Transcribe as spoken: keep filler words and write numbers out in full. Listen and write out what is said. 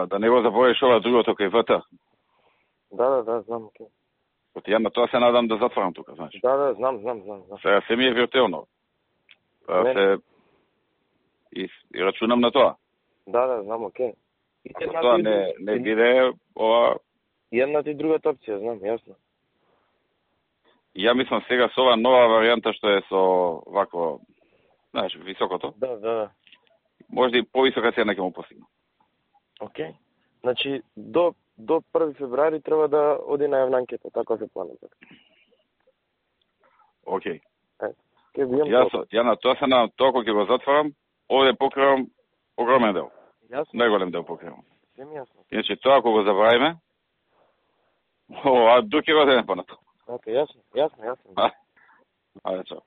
да, да не го забориш ова другото кај ВТ. Да, да, да, знам, окей. Оти ја на тоа се надам да затворам тука, значи. Да, да, знам, знам, знам. знам. Сега се ми е виртуелно. Па се и, и рачунам на тоа. Да, да, знам, окей. И ако тоа не, не биде ова... Едната и другата опција, знам, јасно. Ја мислам сега со ова нова варијанта што е со вако, знаеш, високото. Да, да, да. Може и повисока цена ќе му постигне. Окей. Значи, до, до први февруари треба да оди на јавна анкета, така се планува. Окей. Е, ке бијам Јас, ја на тоа се на тоа кога ќе го затворам, овде покривам огромен дел. Јасно. Најголем дел покривам. Се ми јасно. Иначе тоа кога го забравиме, о, а дуки го денем понатаму. Окей, јасно, јасно, јасно. Ајде, чао.